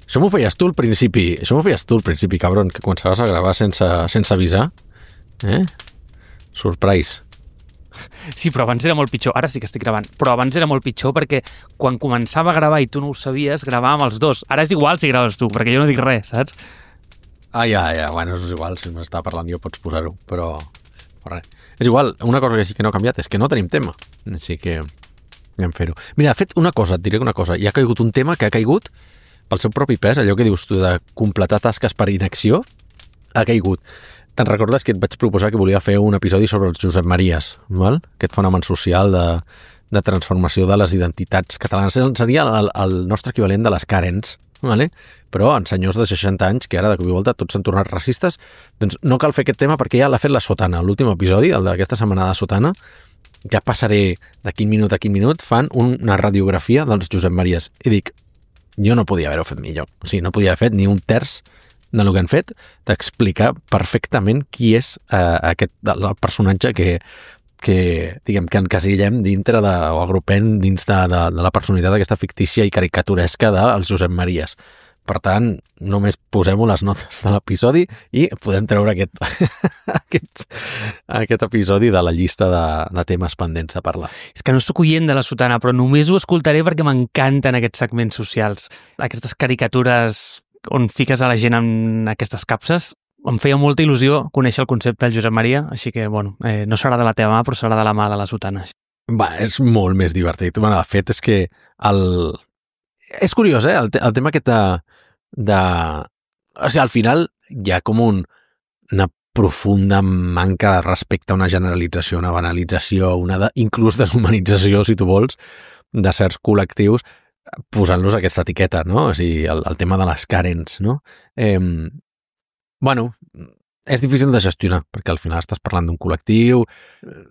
Això m'ho feies tu al principi, cabron, que començaves a gravar sense avisar. Surprise. Sí, però abans era molt pitjor. Ara sí que estic gravant. Però abans era molt pitjor perquè quan començava a gravar i tu no ho sabies, gravàvem els dos. Ara és igual si graves tu, perquè jo no dic res, saps? Ja. Bueno, és igual, si m'estava parlant jo pots posar-ho, però res. És igual, una cosa que sí que no ha canviat és que no tenim tema. Així que anem a fer-ho. Mira, de fet, et diré una cosa. Hi ha caigut un tema que ha caigut pel seu propi pes, allò que dius tu de completar tasques per inacció, ha caigut. Te'n recordes que et vaig proposar que volia fer un episodi sobre els Josep Maries, val? Aquest fenomen social de transformació de les identitats catalanes. Seria el nostre equivalent de les Karens, vale? Però en senyors de 60 anys, que ara de cop i volta tots s'han tornat racistes, doncs no cal fer aquest tema perquè ja l'ha fet la Sotana. L'últim episodi, el d'aquesta setmana de Sotana, ja passaré de quin minut a quin minut, fan una radiografia dels Josep Maries. I dic, jo no podia haver-ho fet millor. O sigui, no podia haver fet ni un terç del que han fet, d'explicar perfectament qui és el personatge que diguem que encasillem dintre o agrupem dins de la personalitat aquesta fictícia i caricaturesca dels Josep Maries. Per tant, només posem-ho les notes de l'episodi i podem treure aquest episodi de la llista de temes pendents de parlar. És que no soc oient de la Sotana, però només ho escoltaré perquè m'encanten aquests segments socials. Aquestes caricatures on fiques a la gent en aquestes capses. Em feia molta il·lusió conèixer el concepte del Josep Maria, així que, bueno, no serà de la teva mà, però serà de la mà de la Sotana. Va, és molt més divertit. Bueno, de fet, és que és curiós, el tema aquest o sigui, al final hi ha com una profunda manca de respecte a una generalització, una banalització, inclús deshumanització, si tu vols, de certs col·lectius, posant-los aquesta etiqueta, no? O sigui, el tema de les Karens, no? Bueno, és difícil de gestionar, perquè al final estàs parlant d'un col·lectiu,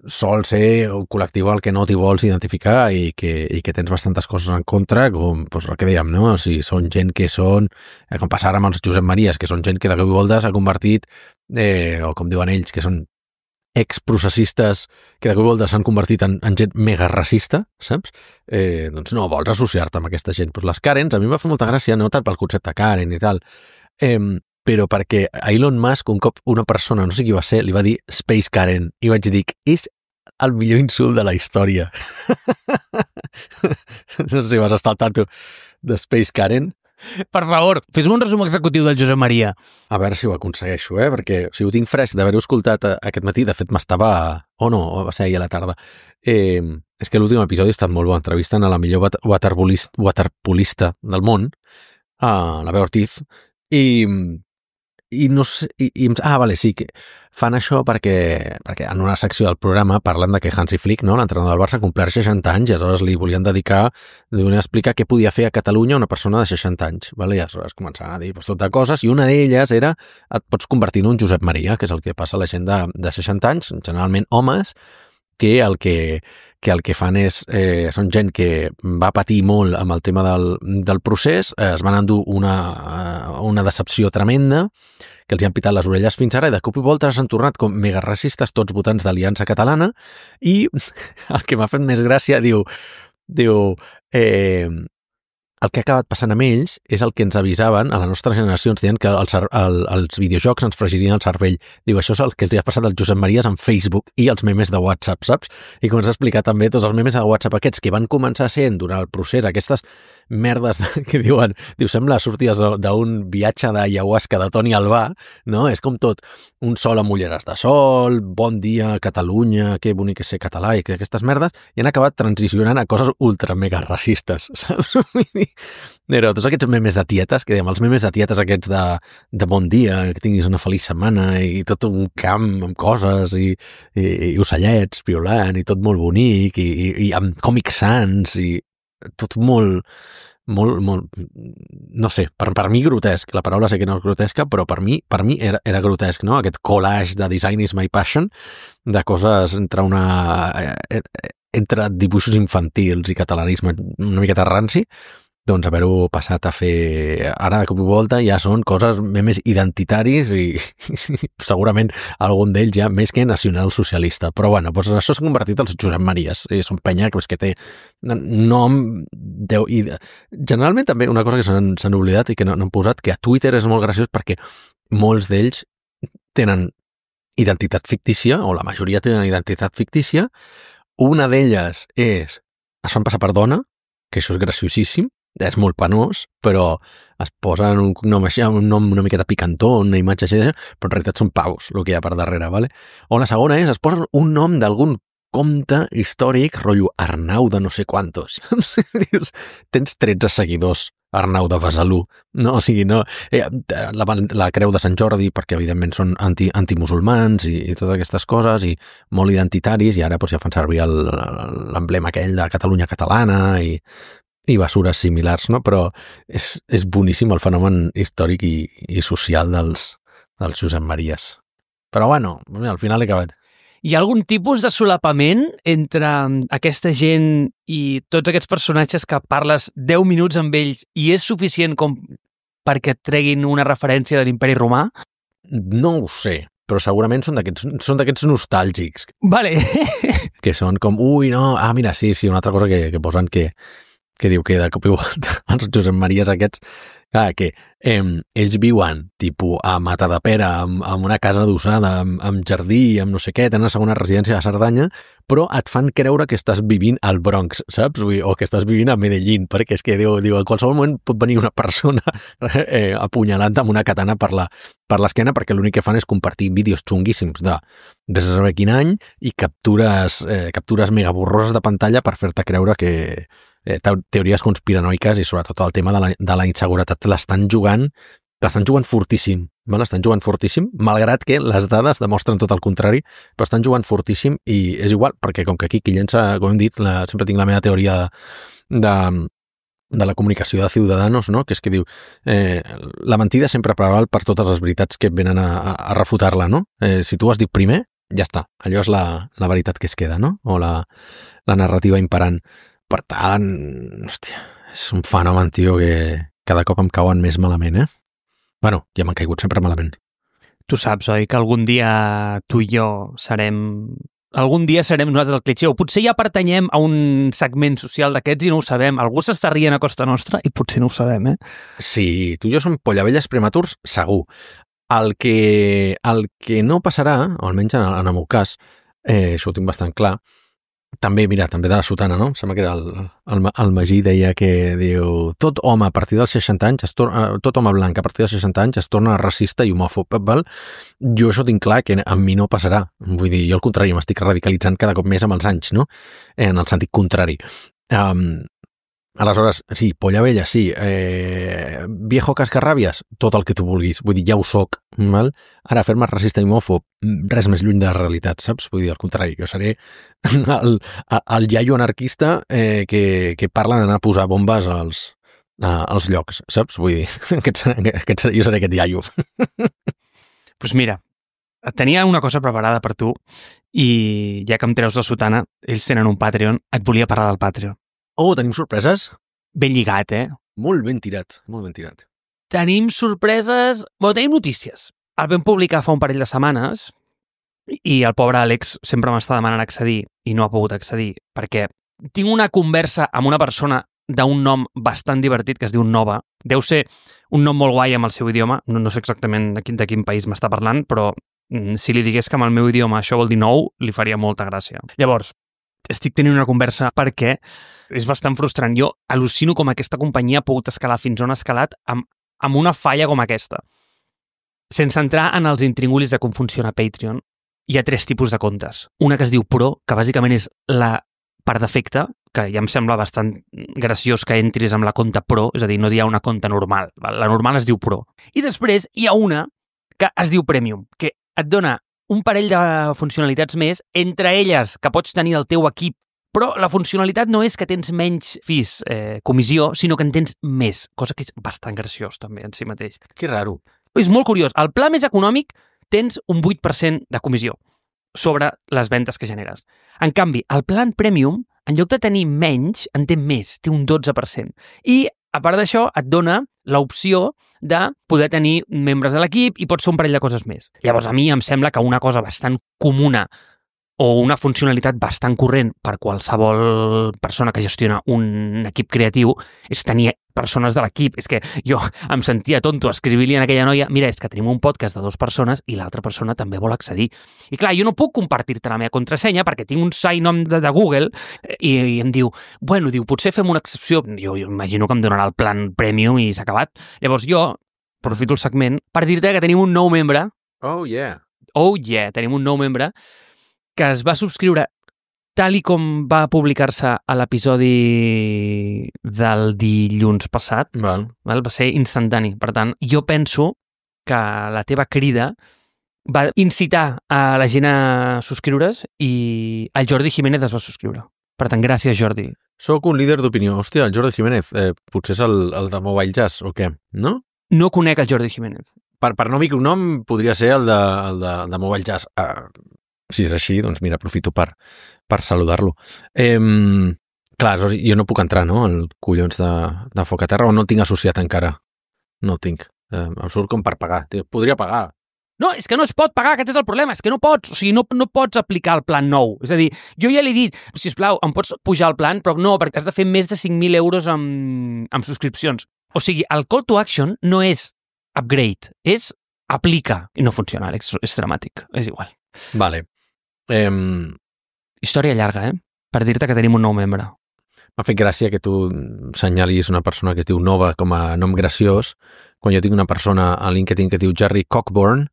sol ser un col·lectiu al que no t'hi vols identificar i que tens bastantes coses en contra, com doncs, el que dèiem, no? O sigui, són gent que són, com passar amb els Josep Maries, que són gent que de cop i volta s'ha convertit, o com diuen ells, que són exprocessistes que de cop i volta s'han convertit en gent mega racista, saps? Doncs no vols associar-te amb aquesta gent. Pues les Karens, a mi em va fer molta gràcia, no tant pel concepte Karen i tal, però perquè a Elon Musk un cop una persona, no sé qui va ser, li va dir Space Karen, i vaig dir, és el millor insult de la història. No sé si vas estar al tanto de Space Karen. Per favor, fes-me un resum executiu del Josep Maria. A veure si ho aconsegueixo, perquè ho tinc fresc d'haver-ho escoltat aquest matí. De fet, m'estava... va ser ahir a la tarda. És que l'últim episodi ha estat molt bo. Entrevisten a la millor waterpolista del món, a la Bea Ortiz, i no sé... vale, sí, que fan això perquè en una secció del programa parlen de que Hansi Flick, no, l'entrenador del Barça, compleix 60 anys i aleshores li volien explicar què podia fer a Catalunya una persona de 60 anys. Vale? I aleshores començaven a dir tot de coses i una d'elles era et pots convertir en un Josep Maria, que és el que passa a la gent de 60 anys, generalment homes, que el que fan són gent que va patir molt amb el tema del procés, es van endur una decepció tremenda, que els hi han pitat les orelles fins ara, i de cop i volta s'han tornat com mega racistes, tots votants d'Aliança Catalana, i el que m'ha fet més gràcia, diu el que ha acabat passant amb ells és el que ens avisaven a la nostra generació, ens deien que els videojocs ens fregirien el cervell. Diu, això és el que els ha passat als Josep Maries en Facebook i els memes de WhatsApp, saps? I comença a explicar també tots els memes de WhatsApp aquests que van començar sent durant el procés, aquestes merdes que diuen, sembla sortides d'un viatge d'ayahuasca de Toni Albà, no? És com tot, un sol amb ulleres de sol, bon dia Catalunya, que bonic és ser català, i aquestes merdes, i han acabat transicionant a coses ultra mega racistes, saps? Però tots aquests memes de tietes, que dèiem, els memes de tietes aquests de bon dia, que tinguis una feliç setmana i tot un camp amb coses i ocellets violant i tot molt bonic i amb Comic Sans i tot molt, no sé, per mi grotesc. La paraula sé que no és grotesca, però per mi era grotesc, no? Aquest collage de Design is my passion, de coses entre dibuixos infantils i catalanisme una miqueta ranci, doncs haver-ho passat a fer ara de cop i volta ja són coses més identitaris i segurament algun d'ells ja més que nacional-socialista. Però bueno, doncs això s'ha convertit als Josep Maries. Són penya que té nom... I generalment també una cosa que s'han oblidat i que no han posat, que a Twitter és molt graciós perquè molts d'ells tenen identitat fictícia, o la majoria tenen identitat fictícia. Una d'elles es fan passar per dona, que això és graciosíssim, és molt penós, però es posen un cognom així, un nom una miqueta picantó, una imatge així, però en realitat són pavos, el que hi ha per darrere, ¿vale? O la segona es posen un nom d'algun compte històric, rotllo Arnau de no sé quantos. Dius, tens 13 seguidors, Arnau de Besalú, no? O sigui, no... La creu de Sant Jordi, perquè evidentment són antimusulmans i totes aquestes coses, i molt identitaris, i ara doncs, ja fan servir l'emblema aquell de Catalunya catalana i bessures similars, no? Però és boníssim el fenomen històric i social dels Josep Maries. Però bueno, al final he acabat. Hi ha algun tipus de solapament entre aquesta gent i tots aquests personatges que parles 10 minuts amb ells i és suficient com perquè et treguin una referència de l'Imperi Romà? No ho sé, però segurament són d'aquests nostàlgics. Vale. Que són com, mira, sí, una altra cosa que posen que diu que de cop i volta els Josep Maries aquests, clar, que ells viuen tipus a Matadepera, amb una casa adossada, amb jardí, amb no sé què, tenen una segona residència a Cerdanya, però et fan creure que estàs vivint al Bronx, saps? O que estàs vivint a Medellín, perquè és que diu, en qualsevol moment pot venir una persona apunyalant amb una katana per l'esquena, perquè l'únic que fan és compartir vídeos xunguíssims de vés a saber quin any i captures mega borroses de pantalla per fer-te creure que teories conspiranoiques i sobretot el tema de la inseguretat l'estan jugant fortíssim, l'estan jugant fortíssim, malgrat que les dades demostren tot el contrari, però estan jugant fortíssim i és igual, perquè com que aquí qui llença, com hem dit, sempre tinc la meva teoria de la comunicació de Ciudadanos, no? Que és que diu la mentida sempre preval per totes les veritats que venen a refutar-la, no? Si tu has dit primer, ja està, allò és la veritat que es queda, no? O la narrativa imperant. Per tant, hòstia, és un fenomen, tio, que cada cop em cauen més malament, Bueno, ja m'han caigut sempre malament. Tu saps, oi, que algun dia tu i jo serem nosaltres el clitxer, o potser ja pertanyem a un segment social d'aquests i no ho sabem. Algú s'està rient a costa nostra i potser no ho sabem, Sí, tu i jo som pollavelles prematurs, segur. El que no passarà, o almenys en el meu cas, això ho tinc bastant clar, també de la sotana, no? Em sembla que era el Magí deia que diu tot home a partir dels 60 anys tot home blanc a partir dels 60 anys es torna racista i homòfob, val? Jo això tinc clar que amb mi no passarà. Vull dir, jo al contrari, m'estic radicalitzant cada cop més amb els anys, no? En el sentit contrari. Aleshores, sí, polla vella, sí. Viejo cascarràbies, tot el que tu vulguis. Vull dir, ja ho soc, val? Ara, fer-me racista i homòfob, res més lluny de la realitat, saps? Vull dir, al contrari, jo seré el iaio anarquista que parla d'anar a posar bombes als llocs, saps? Vull dir, jo seré aquest iaio. Doncs mira, tenia una cosa preparada per tu i ja que em treus la sotana, ells tenen un Patreon, et volia parlar del Patreon. Oh, tenim sorpreses? Ben lligat, Molt ben tirat, molt ben tirat. Tenim sorpreses... tenim notícies. El vam publicar fa un parell de setmanes i el pobre Àlex sempre m'està demanant accedir i no ha pogut accedir perquè tinc una conversa amb una persona d'un nom bastant divertit que es diu Nova. Deu ser un nom molt guai amb el seu idioma. No sé exactament de quin país m'està parlant, però si li digués que amb el meu idioma això vol dir nou, li faria molta gràcia. Llavors, estic tenint una conversa perquè és bastant frustrant. Jo al·lucino com aquesta companyia ha pogut escalar fins on ha escalat amb una falla com aquesta. Sense entrar en els intringulis de com funciona Patreon, hi ha 3 tipus de comptes. Una que es diu Pro, que bàsicament és la per defecte, que ja em sembla bastant graciós que entris amb la compte Pro, és a dir, no hi ha una compte normal. La normal es diu Pro. I després hi ha una que es diu Premium, que et dona un parell de funcionalitats més, entre elles que pots tenir el teu equip, però la funcionalitat no és que tens menys fees, comissió, sinó que en tens més, cosa que és bastant graciós també en si mateix. Que raro. És molt curiós. Al pla més econòmic tens un 8% de comissió sobre les ventes que generes. En canvi, el plan Premium, en lloc de tenir menys, en té més, té un 12%. I a part d'això, et dona l'opció de poder tenir membres de l'equip i pots fer un parell de coses més. Llavors, a mi em sembla que una cosa bastant comuna o una funcionalitat bastant corrent per qualsevol persona que gestiona un equip creatiu és tenir persones de l'equip. És que jo em sentia tonto escrivir-li a aquella noia, mira, és que tenim un podcast de 2 persones i l'altra persona també vol accedir. I clar, jo no puc compartir-te la meva contrasenya perquè tinc un sign-on de Google i em diu, bueno, potser fem una excepció. Jo imagino que em donarà el plan premium i s'ha acabat. Llavors jo aprofito el segment per dir-te que tenim un nou membre. Oh, yeah. Oh, yeah, tenim un nou membre que es va subscriure tal i com va publicar-se a l'episodi del dilluns passat. Val. Va ser instantani. Per tant, jo penso que la teva crida va incitar a la gent a subscriure's i el Jordi Jiménez es va subscriure. Per tant, gràcies, Jordi. Soc un líder d'opinió. Hòstia, el Jordi Jiménez, potser és el de Mobile Jazz, o què? No? No conec el Jordi Jiménez. Per no dir un nom, podria ser el de Mobile Jazz. Si és així, doncs mira, aprofito per saludar-lo. Clar, jo no puc entrar, no?, al collons de Foc a Terra, o no el tinc associat encara. No el tinc. Em surt com per pagar. Podria pagar. No, és que no es pot pagar, aquest és el problema, és que no pots, o sigui, no pots aplicar el plan nou. És a dir, jo ja li he dit, sisplau, em pots pujar el plan, però no, perquè has de fer més de 5.000 euros amb subscripcions. O sigui, el call to action no és upgrade, és aplica. I no funciona, Àlex, és dramàtic, és igual. Vale. Història llarga, per dir-te que tenim un nou membre. M'ha fet gràcia que tu senyalis una persona que es diu Nova com a nom graciós, quan jo tinc una persona a LinkedIn que diu Jerry Cockburn,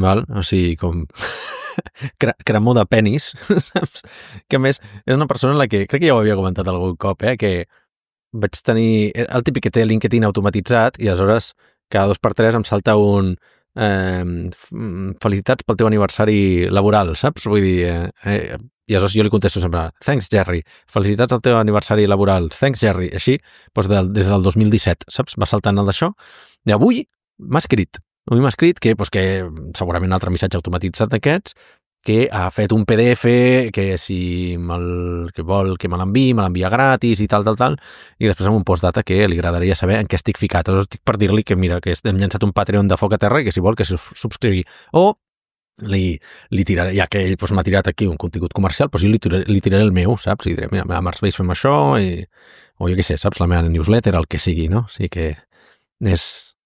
val? O sigui, com cremor de penis, saps? Que a més, és una persona en la que, crec que ja ho havia comentat algun cop, que vaig tenir, el típic que té LinkedIn automatitzat i aleshores cada 2x3 em salta un felicitats pel teu aniversari laboral, saps? Vull dir, i aleshores jo li contesto sempre, thanks Jerry, felicitats al teu aniversari laboral, thanks Jerry, així, doncs des del 2017, saps? Va saltant el d'això, i avui m'ha escrit que segurament un altre missatge automatitzat d'aquests, que ha fet un PDF que si que vol que me l'envia gratis i tal, i després amb un postdata que li agradaria saber en què estic ficat. Aleshores estic per dir-li que mira, que hem llançat un Patreon de Foc a Terra i que si vol que se subscrigui. O li tiraré, ja que ell m'ha tirat aquí un contingut comercial, jo li tiraré el meu, saps? I diré, mira, a Març Veis fem això, o jo què sé, saps? La meva newsletter, el que sigui, no? O sigui que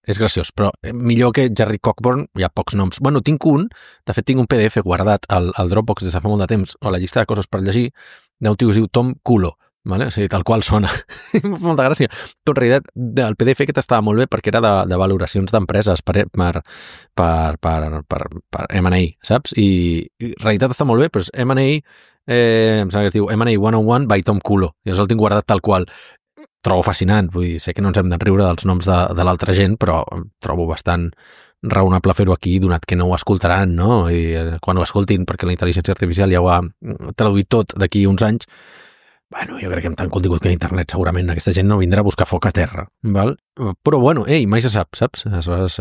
és graciós, però millor que Jerry Cockburn hi ha pocs noms. Bueno, tinc de fet tinc un PDF guardat al Dropbox des de fa molt de temps, o a la llista de coses per llegir, d'un tio que es diu Tom Culo, vale? O sigui, tal qual sona. Molta gràcia. Però en realitat el PDF aquest estava molt bé perquè era de valoracions d'empreses per M&A, saps? I en realitat està molt bé, però és M&A, em sembla que es diu M&A 101 by Tom Culo, i el tinc guardat tal qual. Trobo fascinant, vull dir, sé que no ens hem de riure dels noms de l'altra gent, però trobo bastant raonable fer-ho aquí, donat que no ho escoltaran, no? I quan ho escoltin, perquè la intel·ligència artificial ja ho ha traduït tot d'aquí uns anys, bueno, jo crec que amb tant contingut que a internet segurament aquesta gent no vindrà a buscar Foc a Terra, val? Però bueno, mai se sap, saps? Aleshores,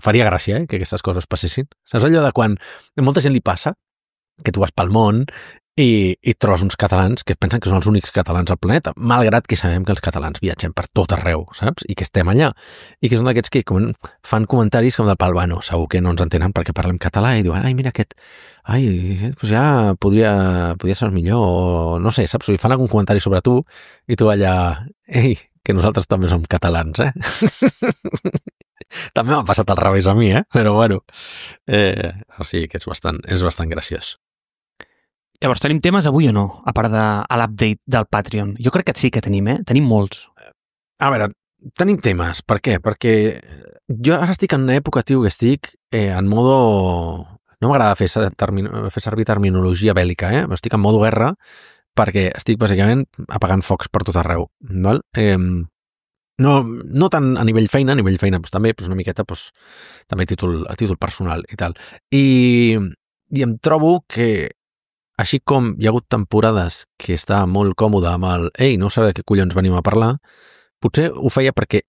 faria gràcia, que aquestes coses passessin. Saps allò de quan a molta gent li passa que tu vas pel món i trobes uns catalans que pensen que són els únics catalans al planeta, malgrat que sabem que els catalans viatgem per tot arreu, saps? I que estem allà. I que són d'aquests que fan comentaris com del pal, bueno, segur que no ens entenen perquè parlem català i diuen, ai, mira aquest, doncs ja podria ser millor, o no sé, saps? I fan algun comentari sobre tu i tu allà, ei, que nosaltres també som catalans, També m'ha passat al revés a mi, però bueno. O sigui que és bastant graciós. Llavors, tenim temes avui o no? A part de l'update del Patreon. Jo crec que sí que tenim, Tenim molts. A veure, tenim temes. Per què? Perquè jo ara estic en una època, tio, que estic en modo... No m'agrada fer servir terminologia bèl·lica, Estic en modo guerra perquè estic, bàsicament, apagant focs per tot arreu, val? No tant a nivell feina doncs, també, doncs una miqueta, doncs, també a títol personal i tal. I em trobo que així com hi ha hagut temporades que estava molt còmode amb ei, no sabia de què collons venim a parlar, potser ho feia perquè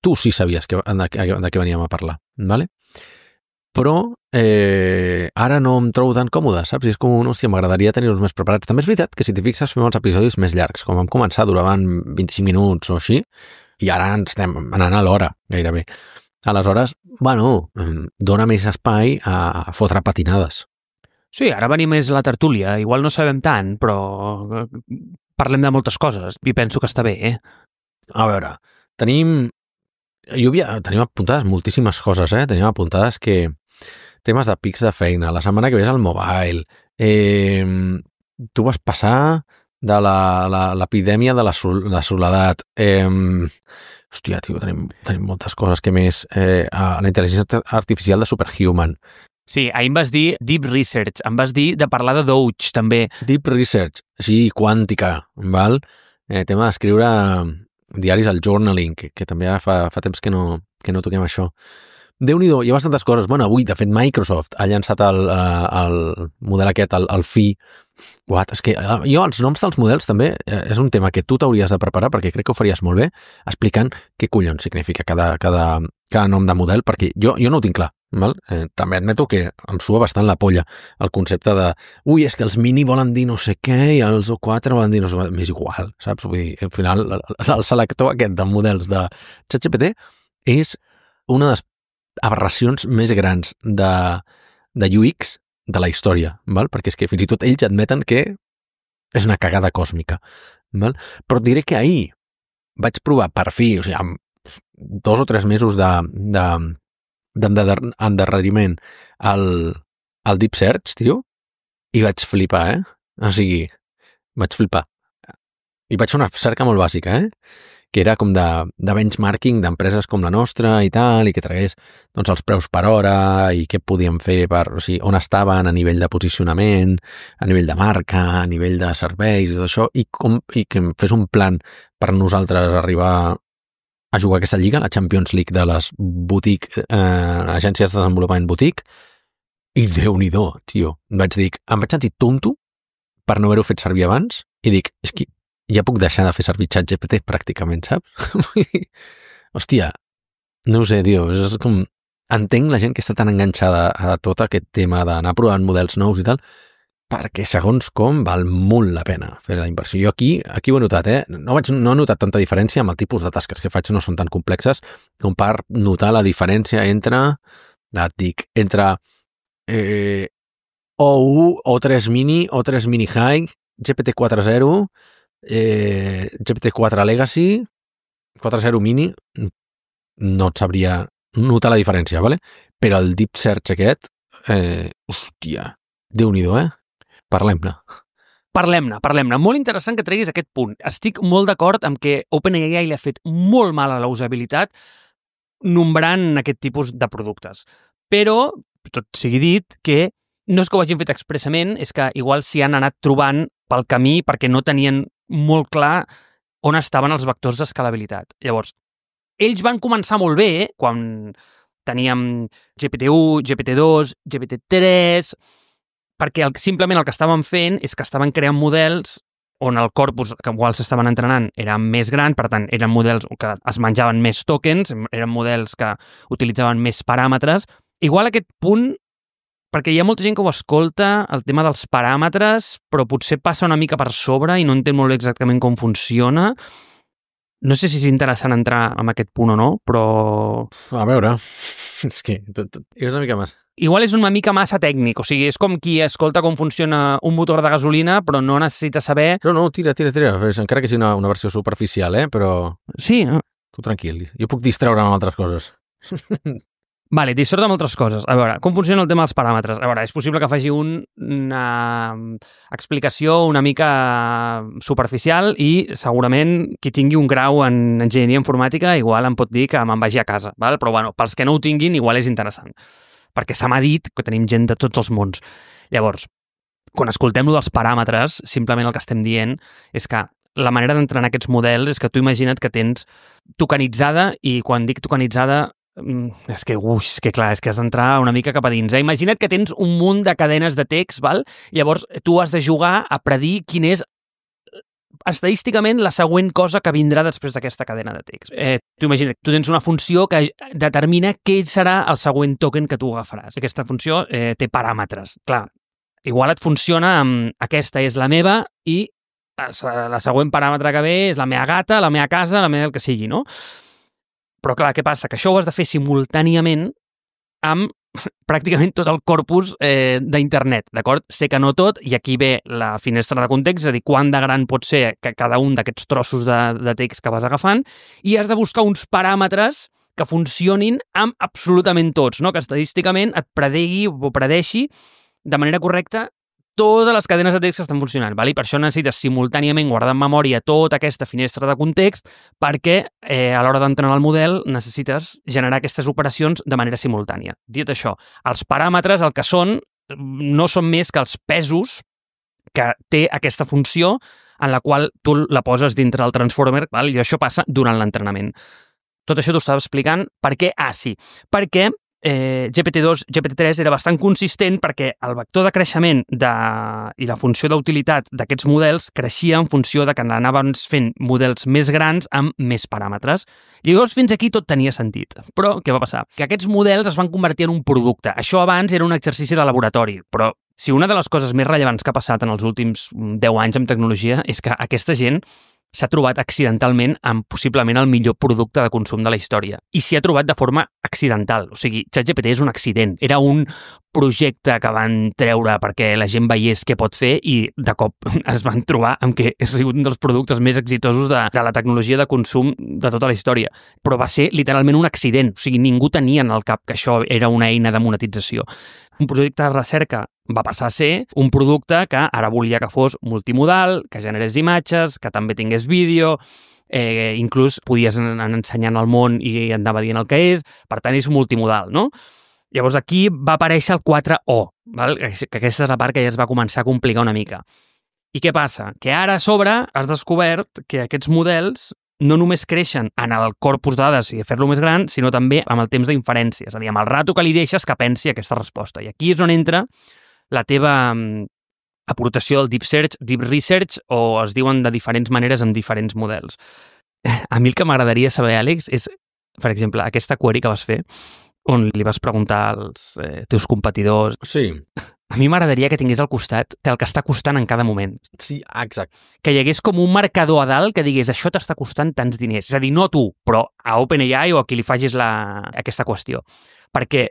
tu sí sabies de què veníem a parlar, ¿vale? Però ara no em trobo tan còmode, saps? I és com, hòstia, m'agradaria tenir-los més preparats. També és veritat que si t'hi fixes fem els episodis més llargs. Com vam començar duraven 25 minuts o així, I ara ens estem anant a l'hora, gairebé. Aleshores, bueno, dona més espai a fotre patinades. Sí, ara venim més a la tertúlia. Igual no sabem tant, però parlem de moltes coses i penso que està bé, A veure, tenim apuntades moltíssimes coses, Tenim apuntades que temes de pics de feina, la setmana que ve és el mobile, tu vas passar de l'epidèmia de la soledat, hòstia, tio, tenim moltes coses que més, la intel·ligència artificial de Superhuman. Sí, ahir em vas dir Deep Research, em vas dir de parlar de Doge, també. Deep Research, sí, quàntica, val? Tema d'escriure diaris al journaling, que també ara fa temps que no toquem això. Déu-n'hi-do, hi ha bastantes coses. Bueno, avui, de fet, Microsoft ha llançat el model aquest, el Phi. What? És que jo, els noms dels models també és un tema que tu t'hauries de preparar, perquè crec que ho faries molt bé, explicant què collons significa cada nom de model, perquè jo no ho tinc clar. Val? També admeto que em sua bastant la polla el concepte de és que els mini volen dir no sé què i els O4 volen dir no sé què. M'és igual, saps? Vull dir, al final, el selector aquest de models de ChatGPT és una de les aberracions més grans de UX de la història, val? Perquè és que fins i tot ells admeten que és una cagada còsmica. Val? Però et diré que ahir vaig provar per fi, o sigui, amb 2 o 3 mesos d'endarreriment al Deep Search, tio, i vaig flipar, O sigui, vaig flipar. I vaig fer una cerca molt bàsica, que era com de benchmarking d'empreses com la nostra i tal, i que tragués doncs, els preus per hora i què podíem fer o sigui, on estaven a nivell de posicionament, a nivell de marca, a nivell de serveis i tot això, i que em fes un plan per nosaltres arribar a jugar aquesta lliga, la Champions League de les agències de desenvolupament boutique, i Déu-n'hi-do, tio. Em vaig sentir tonto per no haver-ho fet servir abans, i dic, és que ja puc deixar de fer servir ChatGPT pràcticament, saps? Hòstia, no ho sé, tio, és com... Entenc la gent que està tan enganxada a tot aquest tema d'anar provant models nous i tal, perquè segons com val molt la pena fer la inversió. Jo aquí ho he notat, No he notat tanta diferència amb el tipus de tasques que faig, no són tan complexes com per notar la diferència entre O1, O3 Mini, O3 Mini High, GPT 4.0, GPT-4 Legacy, 4.0 Mini, no et sabria notar la diferència, ¿vale? Però el Deep Search aquest, hòstia, Déu-n'hi-do, Parlem-ne. Parlem-ne. Molt interessant que treguis aquest punt. Estic molt d'acord amb que OpenAI li ha fet molt mal a la usabilitat nombrant aquest tipus de productes. Però, tot sigui dit, que no és que ho hagin fet expressament, és que igual s'hi han anat trobant pel camí perquè no tenien molt clar on estaven els vectors d'escalabilitat. Llavors, ells van començar molt bé quan teníem GPT-1, GPT-2, GPT-3, perquè simplement el que estaven fent és que estaven creant models on el corpus que igual s'estaven entrenant era més gran, per tant, eren models que es menjaven més tokens, eren models que utilitzaven més paràmetres. Igual aquest punt, perquè hi ha molta gent que ho escolta, el tema dels paràmetres, però potser passa una mica per sobre i no entén molt bé exactament com funciona. No sé si és interessant entrar en aquest punt o no, però... A veure, és que és una mica més. Igual és una mica massa tècnic, o sigui, és com qui escolta com funciona un motor de gasolina, però no necessita saber... No, tira, encara que sigui una versió superficial, però... Sí. Tu tranquil, jo puc distreure'm amb altres coses. Vale, dissort amb altres coses. A veure, com funciona el tema dels paràmetres? A veure, és possible que faci una explicació una mica superficial i segurament qui tingui un grau en enginyeria informàtica igual em pot dir que me'n vagi a casa, val? Però bueno, pels que no ho tinguin igual és interessant, perquè se m'ha dit que tenim gent de tots els mons. Llavors, quan escoltem-lo dels paràmetres, simplement el que estem dient és que la manera d'entrenar aquests models és que tu imagina't que tens tokenitzada, i quan dic tokenitzada és que clar, és que has d'entrar una mica cap a dins. Imagina't que tens un munt de cadenes de text, val? Llavors tu has de jugar a predir quin és estadísticament la següent cosa que vindrà després d'aquesta cadena de text. Tu imagina't, tu tens una funció que determina què serà el següent token que tu agafaràs. Aquesta funció té paràmetres. Clar, igual et funciona amb aquesta és la meva i la següent paràmetre que ve és la meva gata, la meva casa, la meva el que sigui, no? Però clar, què passa? Que això ho has de fer simultàniament amb pràcticament tot el corpus d'internet, d'acord? Sé que no tot, i aquí ve la finestra de context, és a dir, quant de gran pot ser cada un d'aquests trossos de text que vas agafant, i has de buscar uns paràmetres que funcionin amb absolutament tots, no? Que estadísticament et predeixi de manera correcta totes les cadenes de text que estan funcionant. Val? I per això necessites simultàniament guardar en memòria tota aquesta finestra de context perquè a l'hora d'entrenar el model necessites generar aquestes operacions de manera simultània. Dit això, els paràmetres el que són no són més que els pesos que té aquesta funció en la qual tu la poses dintre del transformer, val? I això passa durant l'entrenament. Tot això t'ho estava explicant per què? Sí, perquè GPT-2, GPT-3 era bastant consistent perquè el vector de creixement i la funció d'utilitat d'aquests models creixia en funció de que anaven fent models més grans amb més paràmetres. Llavors, fins aquí tot tenia sentit. Però què va passar? Que aquests models es van convertir en un producte. Això abans era un exercici de laboratori, però si una de les coses més rellevants que ha passat en els últims 10 anys en tecnologia és que aquesta gent s'ha trobat accidentalment amb possiblement el millor producte de consum de la història. I s'hi ha trobat de forma accidental. O sigui, ChatGPT és un accident. Era un projecte que van treure perquè la gent veiés què pot fer i de cop es van trobar amb que ha sigut un dels productes més exitosos de la tecnologia de consum de tota la història. Però va ser literalment un accident. O sigui, ningú tenia en el cap que això era una eina de monetització. Un projecte de recerca va passar a ser un producte que ara volia que fos multimodal, que generés imatges, que també tingués vídeo, inclús podies anar ensenyant al món i andava dient el que és, per tant és multimodal, no? Llavors aquí va aparèixer el 4O, val? Que aquesta és la part que ja es va començar a complicar una mica. I què passa? Que ara a sobre has descobert que aquests models no només creixen en el corpus de dades i fer-lo més gran, sinó també amb el temps d'inferència, és a dir, amb el rato que li deixes que pensi aquesta resposta. I aquí és on entra la teva aportació del Deep Search, Deep Research, o es diuen de diferents maneres amb diferents models. A mi el que m'agradaria saber, Àlex, és, per exemple, aquesta query que vas fer, on li vas preguntar als teus competidors. Sí. A mi m'agradaria que tingués al costat el que està costant en cada moment. Sí, exacte. Que hi hagués com un marcador a dalt que digués això t'està costant tants diners. És a dir, no tu, però a OpenAI o a qui li facis aquesta qüestió. Perquè,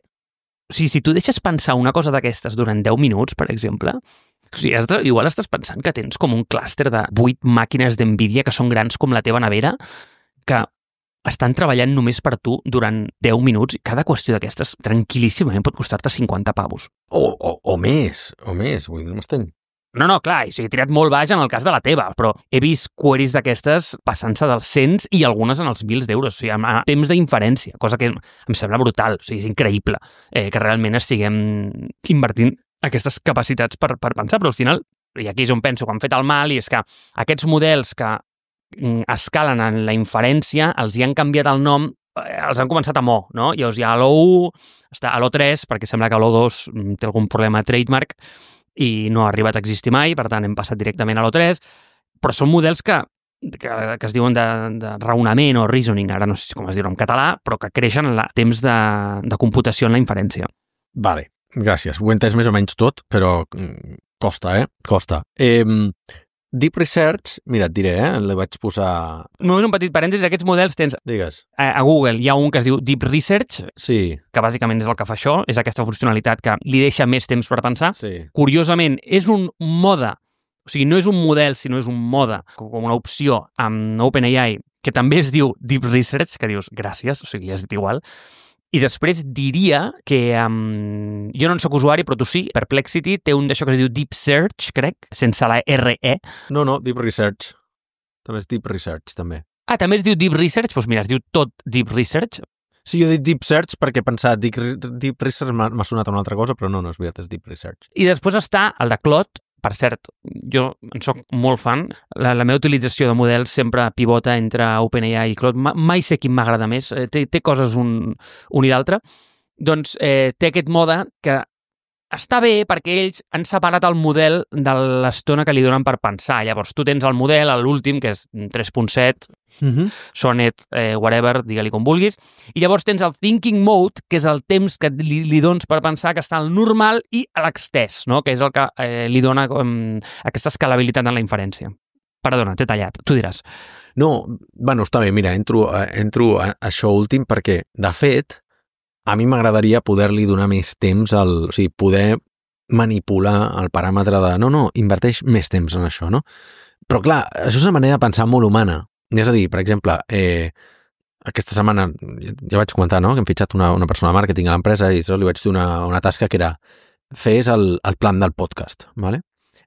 o sigui, si tu deixes pensar una cosa d'aquestes durant 10 minuts, per exemple, o sigui, igual estàs pensant que tens com un clúster de 8 màquines d'NVIDIA que són grans com la teva nevera, que estan treballant només per tu durant 10 minuts i cada qüestió d'aquestes tranquil·líssimament pot costar-te 50 pavos. O més, vull dir, no m'esteny. No, clar, i he tirat molt baix en el cas de la teva, però he vist queries d'aquestes passant-se dels 100 i algunes en els 1.000 d'euros, o sigui, amb temps d'inferència, cosa que em sembla brutal, o sigui, és increïble que realment estiguem invertint aquestes capacitats per pensar, però al final, i aquí és on penso que han fet el mal, i és que aquests models que escalen en la inferència, els hi han canviat el nom, els han començat amb O, no? Llavors hi ha l'O1, està a l'O3, perquè sembla que l'O2 té algun problema de trademark i no ha arribat a existir mai, per tant hem passat directament a l'O3, però són models que es diuen de raonament o reasoning, ara no sé com es diu en català, però que creixen en el temps de computació en la inferència. Vale, gràcies. Ho he entès més o menys tot, però costa, Costa. Deep Research, mira, et diré, li vaig posar... Només un petit parèntesis, aquests models tens... Digues. A Google hi ha un que es diu Deep Research, sí, que bàsicament és el que fa això, és aquesta funcionalitat que li deixa més temps per pensar. sí. Curiosament, és un mode, o sigui, no és un model, sinó és un mode, com una opció amb OpenAI, que també es diu Deep Research, que dius, gràcies, o sigui, ja has dit igual. I després diria que jo no en soc usuari, però tu sí, Perplexity té un d'això que es diu Deep Search, crec, sense la RE. No, Deep Research. També és Deep Research, també. També es diu Deep Research? Doncs mira, es diu tot Deep Research. Sí, jo he dit Deep Search perquè he pensat Deep Research m'ha sonat una altra cosa, però no és veritat, és Deep Research. I després està el de Claude. Per cert, jo en soc molt fan. La meva utilització de models sempre pivota entre OpenAI i Claude. Mai sé quin m'agrada més. Té coses un i l'altre. Doncs té aquest mode que està bé perquè ells han separat el model de l'estona que li donen per pensar. Llavors, tu tens el model, l'últim, que és 3.7, Sonnet, whatever, digue-li com vulguis, i llavors tens el thinking mode, que és el temps que li dones per pensar, que està al normal i a l'extès, no? Que és el que li dona aquesta escalabilitat en la inferència. Perdona, t'he tallat, tu diràs. No, bueno, està bé, mira, entro a això últim perquè, de fet, a mi m'agradaria poder-li donar més temps, o sigui, poder manipular el paràmetre de no, inverteix més temps en això, no? Però clar, això és una manera de pensar molt humana. És a dir, per exemple, aquesta setmana ja vaig comentar, no?, que hem fitxat una persona de màrqueting a l'empresa i li vaig donar una tasca que era fes el plan del podcast, ¿vale?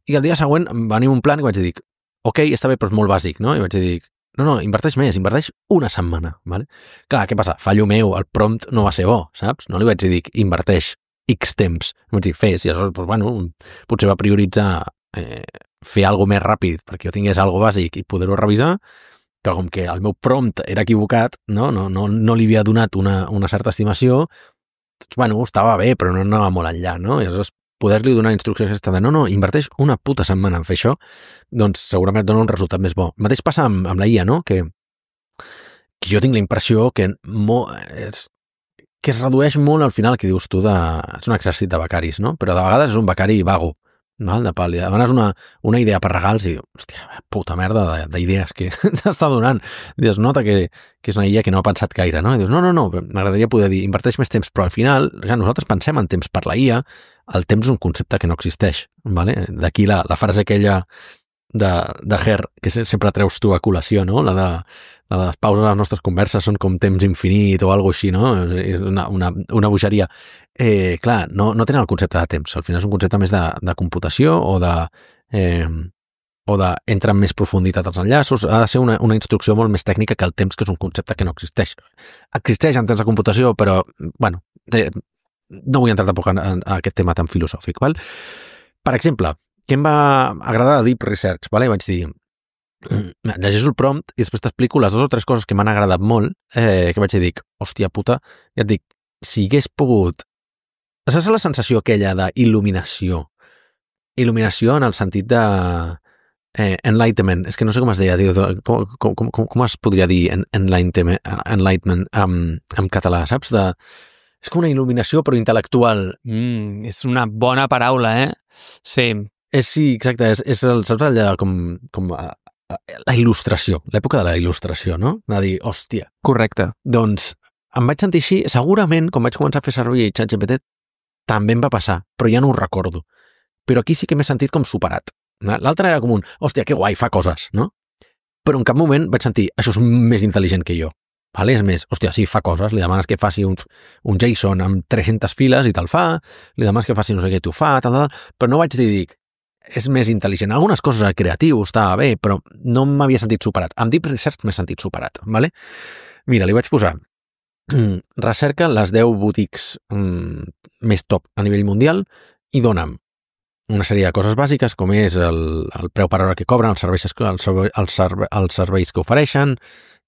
I el dia següent em va venir un plan i vaig dir, ok, està bé, però és molt bàsic, no? I vaig dir, no, inverteix més, inverteix una setmana, ¿vale? Clar, què passa? Fallo meu, el prompt no va ser bo, saps? No li vaig dir, inverteix X temps. Vaig dir, fes, i aleshores, doncs, bueno, potser va prioritzar fer alguna més ràpid perquè jo tingués alguna bàsic i poder-ho revisar, però com que el meu prompt era equivocat, no li havia donat una certa estimació, doncs, bueno, estava bé, però no anava molt enllà, no? I aleshores poder-li donar instruccions aquesta de no, inverteix una puta setmana en fer això, doncs segurament et dona un resultat més bo. El mateix passa amb la IA, no? Que jo tinc la impressió que es redueix molt al final, que dius tu, és un exèrcit de becaris, no? Però de vegades és un becari vago, val? De pal·li. Demanes una idea per regals i dius, hòstia, puta merda d'idees que t'està donant. Dius, nota que és una IA que no ha pensat gaire, no? I dius, no, m'agradaria poder dir, inverteix més temps, però al final, nosaltres pensem en temps per la IA, el temps és un concepte que no existeix, ¿vale? D'aquí la frase aquella de Her, que sempre treus tu a col·lació, no? La de les pauses a les nostres converses són com temps infinit o alguna així, no? És una bogeria. Clar, no tenen el concepte de temps. Al final és un concepte més de computació o entra en més profunditat als enllaços. Ha de ser una instrucció molt més tècnica que el temps, que és un concepte que no existeix. Existeix en temps de computació, però, bueno, no vull entrar tampoc en aquest tema tan filosòfic, val? Per exemple, què em va agradar de Deep Research, vale? Vaig dir, llegeixo el prompt i després t'explico les 2 o 3 coses que m'han agradat molt, que vaig dir, hòstia puta, i et dic, si hagués pogut... Saps la sensació aquella d'il·luminació? Il·luminació en el sentit de... enlightenment, és que no sé com es deia, com es podria dir enlightenment en català, saps? És com una il·luminació però intel·lectual. És una bona paraula, Sí. Sí, exacte, saps allà com la il·lustració, l'època de la il·lustració, no? De dir, hòstia. Correcte. Doncs em vaig sentir així, segurament, quan vaig començar a fer servir ChatGPT, també em va passar, però ja no ho recordo. Però aquí sí que m'he sentit com superat. L'altre era com hòstia, que guai, fa coses, no? Però en cap moment vaig sentir, això és més intel·ligent que jo. Vale? És més, hòstia, sí, fa coses, li demanes que faci un JSON amb 300 files i te'l fa, li demanes que faci no sé què, t'ho fa, tal, però no vaig dir, és més intel·ligent. Algunes coses creatius estava bé, però no m'havia sentit superat. Amb Deep Research m'he sentit superat, vale? Mira, li vaig posar recerca les 10 boutiques més top a nivell mundial i dona'm una sèrie de coses bàsiques, com és el preu per hora que cobren, els serveis que ofereixen,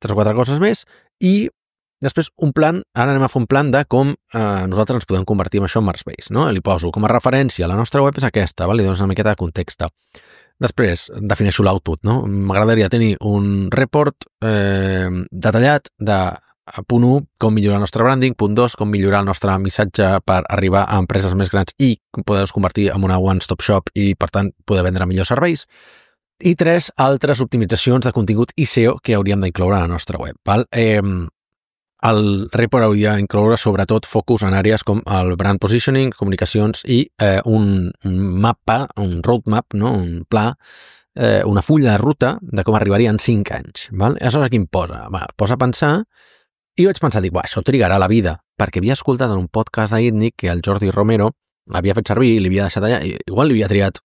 3 o 4 coses més, i després un plan, ara anem a fer un plan de com nosaltres ens podem convertir en això en Marsbase, no? Li poso com a referència, la nostra web és aquesta, li dones una miqueta de context. Després, defineixo l'output, no? M'agradaria tenir un report detallat de punt 1, com millorar el nostre branding, punt 2, com millorar el nostre missatge per arribar a empreses més grans i poder-los convertir en una one-stop shop i, per tant, poder vendre millors serveis. I 3, altres optimitzacions de contingut i SEO que hauríem d'incloure a la nostra web. Val? El report hauria d'incloure sobretot focus en àrees com el brand positioning, comunicacions i un mapa, un roadmap, no? Un pla, una fulla de ruta de com arribaria en 5 anys. Val? Aleshores, aquí em posa a pensar i vaig pensar, això trigarà la vida, perquè havia escoltat en un podcast d'Itnic que el Jordi Romero l'havia fet servir i li havia deixat allà, i igual li havia triat,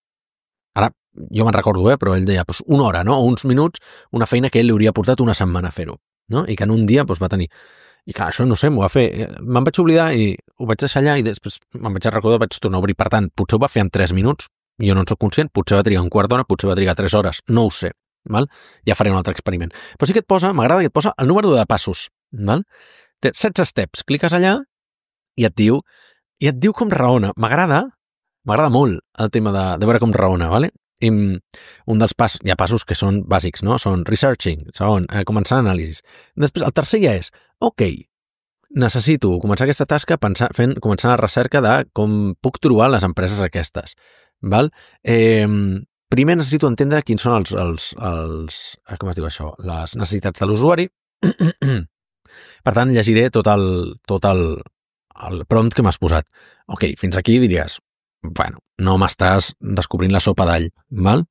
ara jo me'n recordo, però ell deia, una hora, no? O uns minuts, una feina que ell li hauria portat una setmana a fer-ho, no? I que en un dia va tenir. I clar, això no sé, m'ho va fer. Me'n vaig oblidar i ho vaig deixar allà i després me'n vaig recordar, vaig tornar a obrir. Per tant, potser ho va fer en 3 minuts, jo no en soc conscient, potser va trigar un quart d'hora, potser va trigar 3 hores, no ho sé. Val? Ja faré un altre experiment. Però sí que m'agrada que et posa el número de passos. Val? Té 16 steps, cliques allà i et diu com raona. M'agrada molt el tema de veure com raona, vale? I un dels passos, hi ha passos que són bàsics, no? Són researching, segon, començar l'anàlisi. Després, el tercer ja és, ok, necessito començar aquesta tasca començar la recerca de com puc trobar les empreses aquestes. Val? primer necessito entendre quins són com es diu això? Les necessitats de l'usuari. Per tant, llegiré tot el prompt que m'has posat. Ok, fins aquí diries, bueno, no m'estàs descobrint la sopa d'all, val?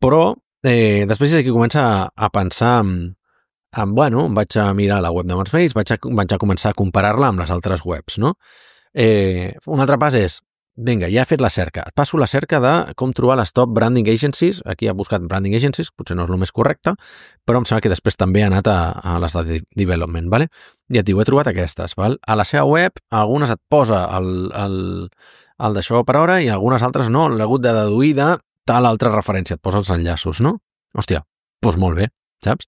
Però després és aquí comença a pensar bueno, vaig a mirar la web de Manspace, vaig a començar a comparar-la amb les altres webs, no? Un altre pas és, vinga, ja he fet la cerca. Et passo la cerca de com trobar les top branding agencies. Aquí ha buscat branding agencies, potser no és el més correcte, però em sembla que després també ha anat a les de development, ¿vale? I et diu, he trobat aquestes, ¿val? A la seva web, algunes et posa el d'això per hora i algunes altres no, l'he hagut de deduir de tal altra referència, et posa els enllaços, no? Hòstia, doncs molt bé, saps?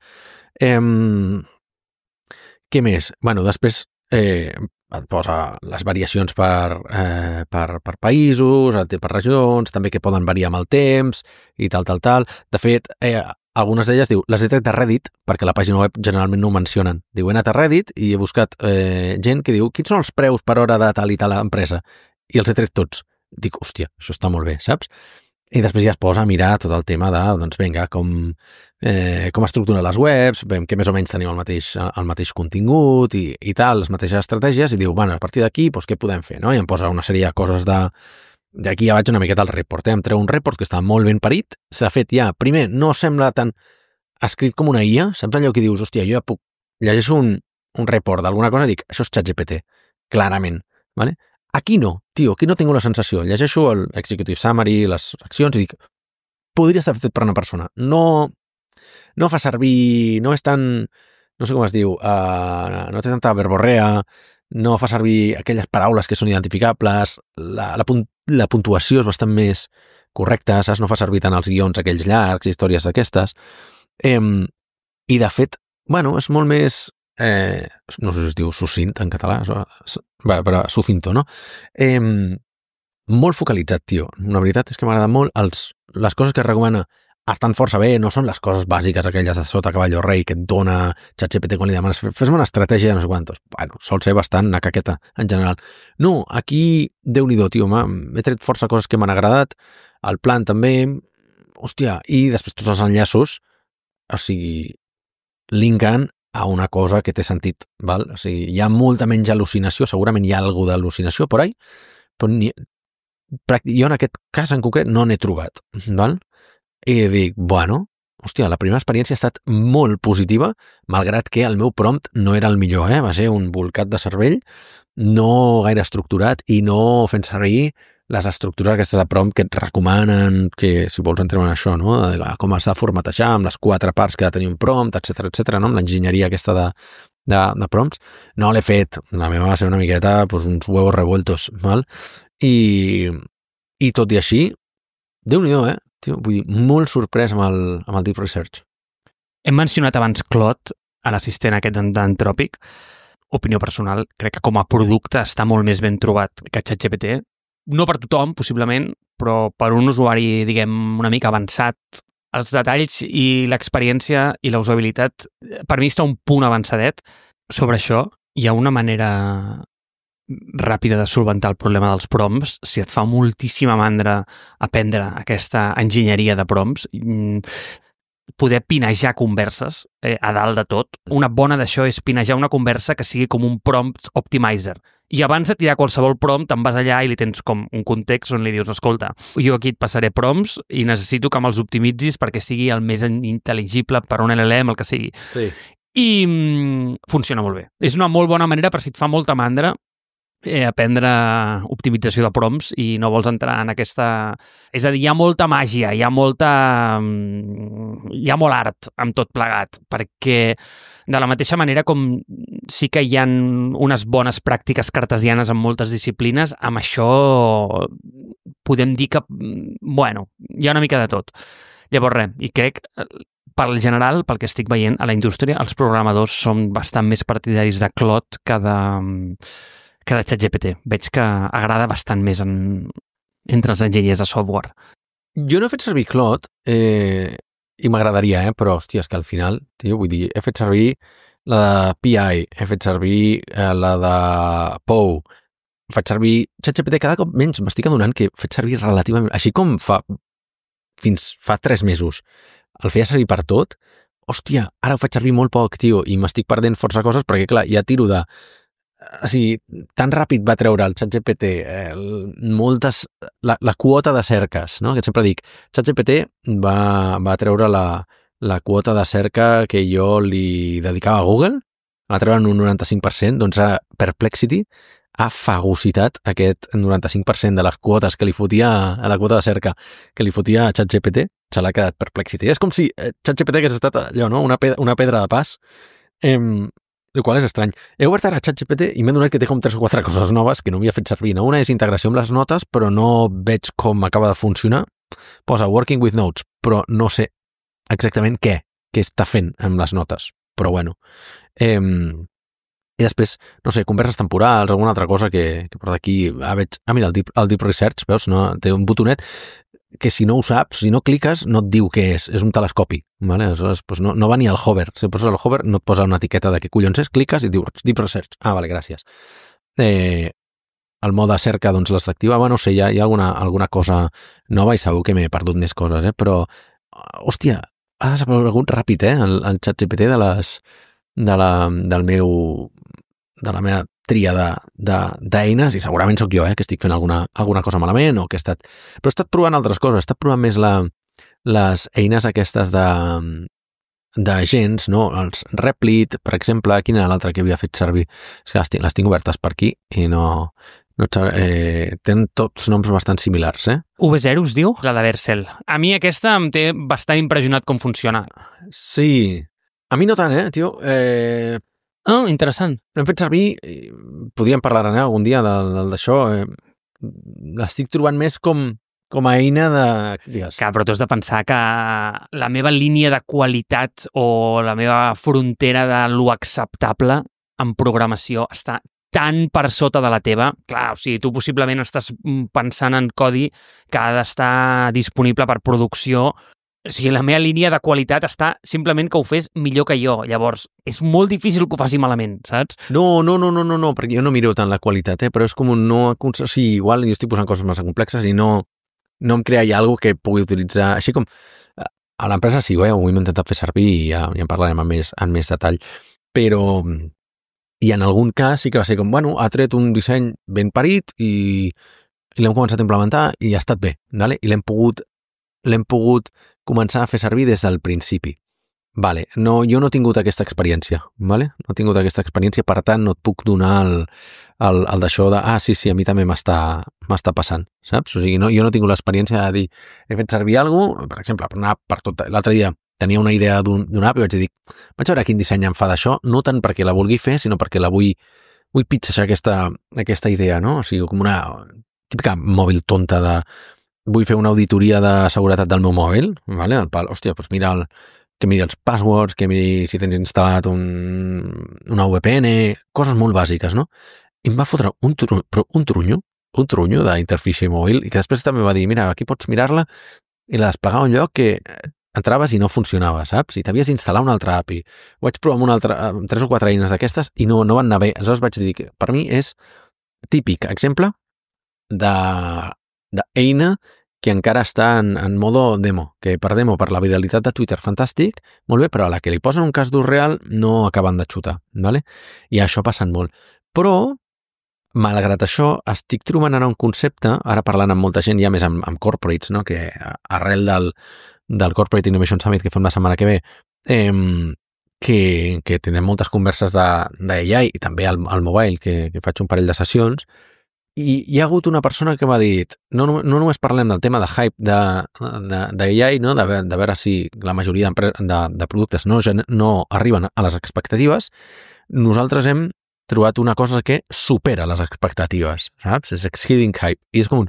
Què més? Bueno, després et posa les variacions per països, per regions, també que poden variar amb el temps i tal. De fet, algunes d'elles diu, les he tret de Reddit, perquè la pàgina web generalment no ho mencionen. Diu, he anat a Reddit i he buscat gent que diu, quins són els preus per hora de tal i tal empresa? I els he tret tots. Dic, hòstia, això està molt bé, saps? I després ja es posa a mirar tot el tema de, doncs vinga, com estructuren les webs, veiem que més o menys tenim el mateix contingut i tal, les mateixes estratègies, i diu, bueno, a partir d'aquí, doncs què podem fer, no? I em posa una sèrie de coses d'aquí ja vaig una miqueta al report, em treu un report que està molt ben parit, s'ha fet ja, primer, no sembla tan escrit com una IA, saps allò que dius, hòstia, jo ja puc llegeixo un report d'alguna cosa i dic, això és ChatGPT, clarament, ¿vale? Aquí no, tio, aquí no tinc la sensació. Llegeixo el Executive Summary, les accions, i dic, podria estar fet per una persona. No fa servir, no és tan, no sé com es diu, no té tanta verborrea, no fa servir aquelles paraules que són identificables, la puntuació és bastant més correcta, saps? No fa servir tant els guions aquells llargs, històries d'aquestes. I de fet, bueno, és molt més... no sé si es diu sucint en català, però sucinto, no? Molt focalitzat, tio. La veritat és que m'agrada molt. Les coses que recomana estan força bé, no són les coses bàsiques aquelles de sota cavallo rei que et dona ChatGPT quan li demanes fes-me una estratègia de no sé quantos. Bueno, sol ser bastant una caqueta en general. No, aquí, Déu-n'hi-do, tio, m'he tret força coses que m'han agradat, el plan també, hòstia, i després tots els enllaços, o sigui, linken a una cosa que té sentit, val? O sigui, hi ha molta menys al·lucinació, segurament hi ha alguna d'al·lucinació por ahí, però jo en aquest cas en concret no n'he trobat, val? I dic, bueno, hòstia, la primera experiència ha estat molt positiva, malgrat que el meu prompt no era el millor, va ser un bolcat de cervell, no gaire estructurat i no fent servir les estructures aquestes de prompt que et recomanen, que si vols entrem en això, no? Com has de formatejar amb les 4 parts que ha de tenir un prompt, etc, no? Amb l'enginyeria aquesta de prompts. No l'he fet, la meva va ser una miqueta pues, uns huevos revueltos, val? I tot i així, Déu-n'hi-do, tio, vull dir, molt sorprès amb el Deep Research. Hem mencionat abans Claude, l'assistent aquest d'Anthropic. Opinió personal, crec que com a producte està molt més ben trobat que ChatGPT. No per tothom, possiblement, però per un usuari, diguem, una mica avançat, els detalls i l'experiència i la usabilitat, per mi està un punt avançadet. Sobre això, hi ha una manera ràpida de solventar el problema dels prompts. Si et fa moltíssima mandra aprendre aquesta enginyeria de prompts, poder pinejar converses a dalt de tot. Una bona d'això és pinejar una conversa que sigui com un prompt optimizer. I abans de tirar qualsevol prompt, te'n vas allà i li tens com un context on li dius, escolta, jo aquí et passaré prompts i necessito que me'ls optimitzis perquè sigui el més intel·ligible per un LLM, el que sigui. Sí. I funciona molt bé. És una molt bona manera per si et fa molta mandra aprendre optimització de prompts i no vols entrar en aquesta... És a dir, hi ha molta màgia, hi ha molt art amb tot plegat, perquè de la mateixa manera com sí que hi ha unes bones pràctiques cartesianes en moltes disciplines, amb això podem dir que, bueno, hi ha una mica de tot. Llavors res, i crec... Pel general, pel que estic veient a la indústria, els programadors són bastant més partidaris de Claude que de ChatGPT. Veig que agrada bastant més entre els enginyers de software. Jo no he fet servir Claude i m'agradaria, però hòstia, és que al final, tio, vull dir, he fet servir la de PI, he fet servir la de Pou, faig servir ChatGPT cada cop menys, m'estic adonant que he fet servir relativament, així com fa fins fa 3 mesos el feia servir per tot, hòstia, ara ho faig servir molt poc, tio, i m'estic perdent força coses perquè, clar, ja tiro de... O sigui, tan ràpid va treure el ChatGPT la quota de cerques, no? Que sempre dic, ChatGPT va treure la quota de cerca que jo li dedicava a Google, va treure un 95%, doncs ara Perplexity ha fagocitat aquest 95% de les quotes que li fotia a la quota de cerca que li fotia a ChatGPT, se l'ha quedat Perplexity. És com si ChatGPT hagués estat allò, no? Una pedra de pas, el qual és estrany. He obert ara ChatGPT i m'he donat que té com 3 o 4 coses noves que no havia fet servir. No? Una és integració amb les notes, però no veig com acaba de funcionar. Posa Working with Notes, però no sé exactament què està fent amb les notes. Però bueno. I després, no sé, converses temporals, alguna altra cosa que per d'aquí veig... mira, el Deep Research, veus? No? Té un botonet que si no ho saps, si no cliques, no et diu què és un telescopi, ¿vale? Aleshores, pues no va ni al hover. Si poses el hover, no et posa una etiqueta de què collons és, cliques i et diu Deep Research. Ah, vale, gràcies. El mode cerca, doncs, les activava, no sé, hi ha alguna cosa nova i segur que m'he perdut més coses, però, hòstia, ha desaparegut ràpid, el ChatGPT de la meva tria d'eines, i segurament sóc jo, que estic fent alguna cosa malament, o que he estat provant altres coses, he estat provant més les eines aquestes d'agents, no? Els Replit, per exemple, quina era l'altra que havia fet servir? És que les tinc obertes per aquí i no tenen tots noms bastant similars, V0 es diu? La de Vercel. A mi aquesta em té bastant impressionat com funciona. Sí. A mi no tant, tio. Interessant. L'hem fet servir, podríem parlar algun dia d'això, l'estic trobant més com a eina de... Digues. Clar, però tu has de pensar que la meva línia de qualitat o la meva frontera de lo acceptable en programació està tan per sota de la teva. Clar, o sigui, tu possiblement estàs pensant en codi que ha d'estar disponible per producció. O sigui, la meva línia de qualitat està simplement que ho fes millor que jo. Llavors, és molt difícil que ho faci malament, saps? No, perquè jo no miro tant la qualitat, però és com un no... O sigui, igual jo estic posant coses massa complexes i no em crea ja alguna que pugui utilitzar... Així com a l'empresa sí, ho hem intentat fer servir i ja en parlarem en més detall. Però... I en algun cas sí que va ser com, bueno, ha tret un disseny ben parit i l'hem començat a implementar i ha estat bé, ¿vale? I l'hem pogut començar a fer servir des del principi. Vale, no, jo no he tingut aquesta experiència, ¿vale? No he tingut aquesta experiència, per tant no et puc donar el d'això de, sí, a mi també m'està passant, saps? O sigui, jo no he tingut l'experiència de dir, he fet servir alguna cosa, per exemple, per anar per tot... L'altre dia tenia una idea d'una app i vaig dir, vaig veure quin disseny em fa d'això, no tant perquè la vulgui fer, sinó perquè la vull pitxar aquesta idea, no? O sigui, com una típica mòbil tonta de... Vull fer una auditoria de seguretat del meu mòbil, ¿vale? Hòstia, doncs mira que miri els passwords, que miri si tens instal·lat una VPN, coses molt bàsiques, no? I em va fotre un trunyo d'interfície mòbil, i que després també va dir, mira, aquí pots mirar-la i la desplegar a un lloc que entraves i no funcionava, saps? I t'havies d'instal·lar una altra API. Ho vaig provar amb 3 o 4 eines d'aquestes i no van anar bé. Aleshores vaig dir que per mi és típic exemple d'eina que encara està en modo demo, que per demo, per la viralitat de Twitter, fantàstic, molt bé, però a la que li posen un cas d'ús real no acaben de xutar, ¿vale? I això passa molt. Però, malgrat això, estic trobant ara un concepte, ara parlant amb molta gent, ja més amb corporates, no? Que arrel del Corporate Innovation Summit que fem la setmana que ve, que tindrem moltes converses d'AI i també al mobile, que faig un parell de sessions, i hi ha hagut una persona que m'ha dit, no només parlem del tema de hype d'AI, no? De veure si la majoria de productes no arriben a les expectatives, nosaltres hem trobat una cosa que supera les expectatives, saps? És exceeding hype. I és com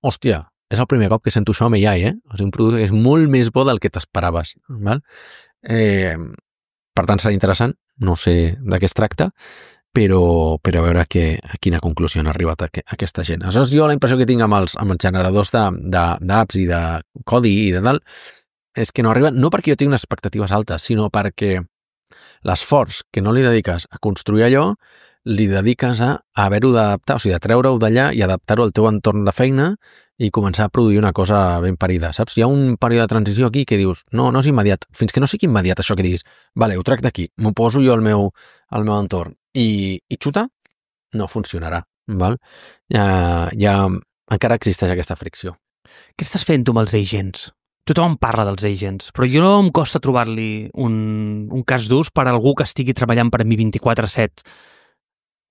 hòstia, és el primer cop que sento això amb AI, O sigui, un producte que és molt més bo del que t'esperaves, val? Per tant, serà interessant, no sé de què es tracta, però a veure a quina conclusió han arribat aquesta gent. Aleshores, jo la impressió que tinc amb els generadors d'apps i de codi i de tal, és que no arriben, no perquè jo tingui unes expectatives altes, sinó perquè l'esforç que no li dediques a construir allò li dediques a haver-ho d'adaptar, o sigui, de treure-ho d'allà i adaptar-ho al teu entorn de feina i començar a produir una cosa ben parida, saps? Hi ha un període de transició aquí que dius, no és immediat, fins que no sigui immediat això que diguis, vale, ho trec d'aquí, m'ho poso jo al meu entorn i xuta, no funcionarà, val? Encara existeix aquesta fricció. Què estàs fent tu amb els agents? Tothom parla dels agents, però jo no em costa trobar-li un cas d'ús per a algú que estigui treballant per a mi 24/7.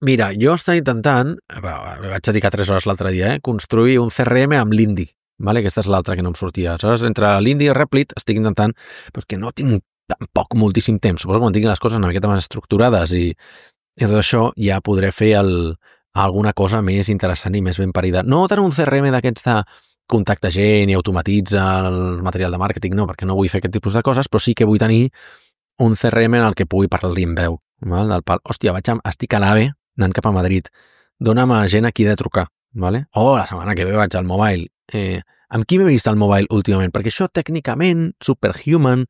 Mira, jo estava intentant, vaig dedicar 3 hores l'altre dia, construir un CRM amb l'Indi, vale? Aquesta és l'altra que no em sortia. Aleshores, entre l'Indi i Replit estic intentant, però que no tinc tampoc moltíssim temps. Suposo que quan tinguin les coses una miqueta més estructurades i tot això ja podré fer alguna cosa més interessant i més ben parida. No tant un CRM d'aquests de contacta gent i automatitza el material de màrqueting, no, perquè no vull fer aquest tipus de coses, però sí que vull tenir un CRM en el que pugui parlar-li en veu. Val? Del pal, hòstia, estic a l'AVE anant cap a Madrid, dona'm a gent a qui he de trucar, vale? La setmana que ve vaig al mobile. Amb qui m'he vist al mobile últimament? Perquè això tècnicament, Superhuman,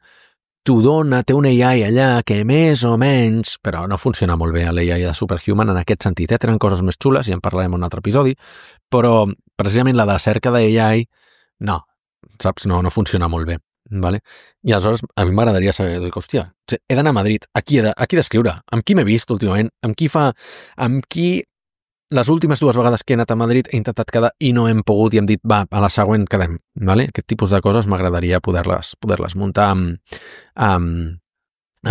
t'ho dona, té un AI allà que més o menys, però no funciona molt bé l'AI de Superhuman en aquest sentit. Tenen coses més xules, ja en parlarem en un altre episodi, però precisament la de cerca d'AI, no, saps? No funciona molt bé. Vale? I aleshores a mi m'agradaria saber, hòstia, he d'anar a Madrid, a qui d'escriure? Amb qui m'he vist últimament? Amb qui les últimes 2 vegades que he anat a Madrid he intentat quedar i no hem pogut i hem dit, va, a la següent quedem. Vale? Aquest tipus de coses m'agradaria poder-les muntar amb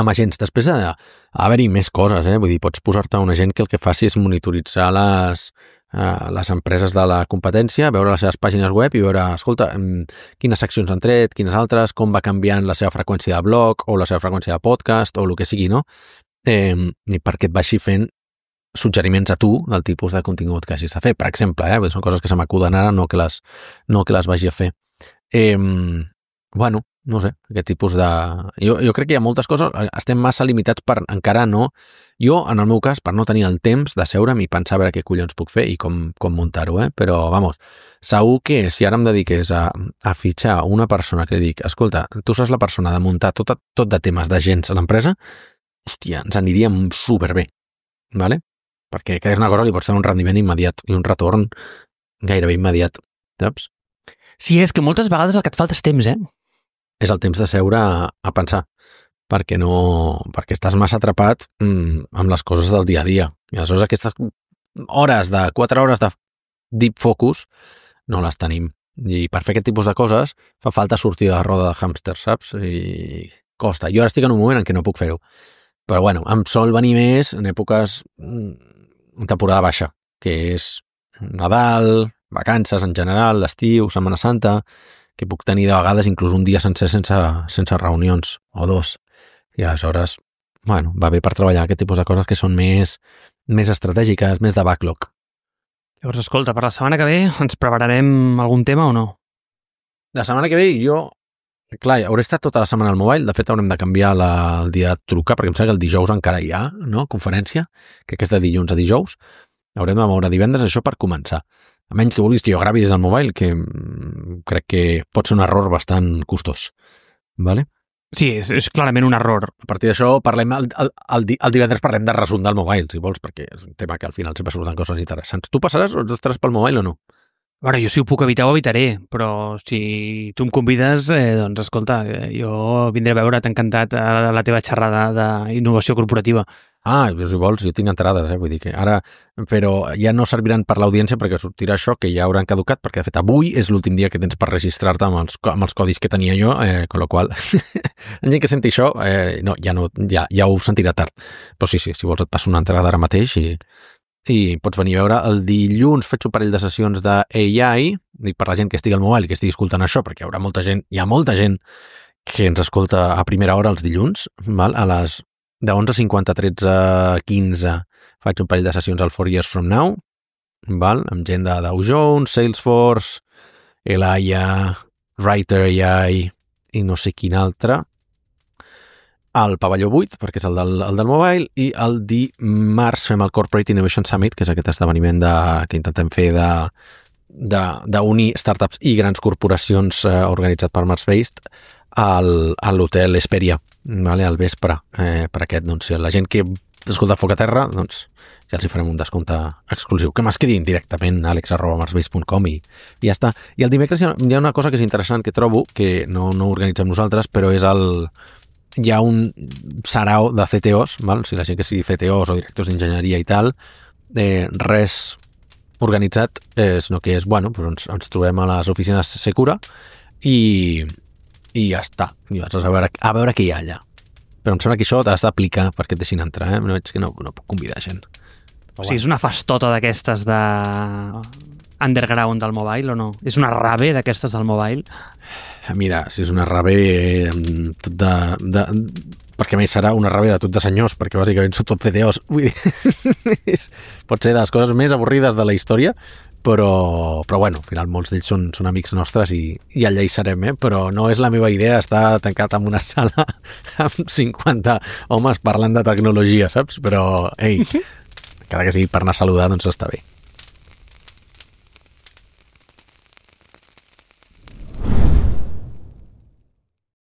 agents. Després haver-hi més coses, vull dir, pots posar-te un agent que el que faci és monitoritzar les empreses de la competència, veure les seves pàgines web i veure, escolta, quines seccions han tret, quines altres, com va canviant la seva freqüència de blog o la seva freqüència de podcast o el que sigui, no? I perquè et vagi fent suggeriments a tu del tipus de contingut que hagis de fer, per exemple, són coses que se m'acuden ara, no que les vagi a fer. Bueno, no sé, aquest tipus de... Jo crec que hi ha moltes coses, estem massa limitats per encara no... Jo, en el meu cas, per no tenir el temps de seure'm i pensar a veure què collons puc fer i com muntar-ho, però, vamos, segur que si ara em dediqués a fitxar una persona que dic, escolta, tu saps la persona de muntar tot de temes d'agents a l'empresa, hòstia, ens aniríem superbé, vale? Perquè és una cosa que li pots tenir un rendiment immediat i un retorn gairebé immediat, saps? Sí, és que moltes vegades el que et falta és temps, És el temps de seure a pensar, perquè estàs massa atrapat amb les coses del dia a dia. I aleshores aquestes 4 hores de deep focus no les tenim. I per fer aquest tipus de coses fa falta sortir de la roda de hàmster, saps? I costa. Jo ara estic en un moment en què no puc fer-ho. Però bueno, em sol venir més en èpoques en temporada baixa, que és Nadal, vacances en general, l'estiu, Setmana Santa, que puc tenir de vegades inclús un dia sencer sense reunions, o 2. I aleshores, bueno, va bé per treballar aquest tipus de coses que són més estratègiques, més de backlog. Llavors, escolta, per la setmana que ve ens prepararem algun tema o no? La setmana que ve jo, clar, hauré estat tota la setmana al mobile, de fet haurem de canviar el dia de trucar, perquè em sembla que el dijous encara hi ha, no?, conferència, que és de dilluns a dijous, haurem de moure divendres això per començar. A menys que vulguis que jo gravi des del mobile, que crec que pot ser un error bastant costós. Vale? Sí, és clarament un error. A partir d'això, parlem el divendres parlem de resum del mobile, si vols, perquè és un tema que al final sempre surten coses interessants. Tu passaràs o estaràs pel mobile o no? Bueno, jo si ho puc evitar ho evitaré, però si tu em convides, doncs escolta, jo vindré a veure't encantat a la teva xerrada d'innovació corporativa. Si vols, jo tinc entrades, vull dir que ara... Però ja no serviran per l'audiència perquè sortirà això, que ja hauran caducat, perquè de fet avui és l'últim dia que tens per registrar-te amb els codis que tenia jo, con lo qual, la gent que senti això, ja ho sentirà tard. Però sí, si vols et passo una entrada ara mateix i pots venir a veure. El dilluns faig un parell de sessions d'AI, dic per la gent que estigui al mobile i que estigui escoltant això, perquè hi ha molta gent que ens escolta a primera hora els dilluns, val? A les de 11:50 a 13:15 faig un parell de sessions al 4 Years From Now, val? Amb gent de Dow Jones, Salesforce, Elaya, Writer AI i no sé quin altre, al pavelló 8, perquè és el del mobile, i el dimarts fem el Corporate Innovation Summit, que és aquest esdeveniment que intentem fer d'unir startups i grans corporacions organitzat per Mars-Based a l'hotel Esperia, vale, al vespre, per aquest, doncs, la gent que escoltat Foc a Terra, doncs ja els hi farem un descompte exclusiu. Que m'escriguin directament a alex@marsbase.com i ja està. I el dimecres hi ha una cosa que és interessant que trobo, que no organitzem nosaltres, però és hi ha un sarau de CTOs, val? O sigui, la gent que sigui CTOs o directors d'enginyeria i tal, res organitzat, sinó que és, bueno, doncs ens trobem a les oficines Secura i ja està. I llavors a veure què hi ha allà. Però em sembla que això t'has d'aplicar perquè et deixin entrar, no veig que no puc convidar gent. O sigui, és una festota d'aquestes de underground del mobile o no? És una rave d'aquestes del mobile? Mira, si és una rave tot perquè a més serà una rave de tot de senyors, perquè bàsicament són tot CTOs. Vull dir, pot ser de les coses més avorrides de la història, però bueno, al final molts d'ells són amics nostres i allà hi serem, però no és la meva idea estar tancat en una sala amb 50 homes parlant de tecnologia, saps? Però, ei, cada que sigui per anar a saludar, doncs està bé.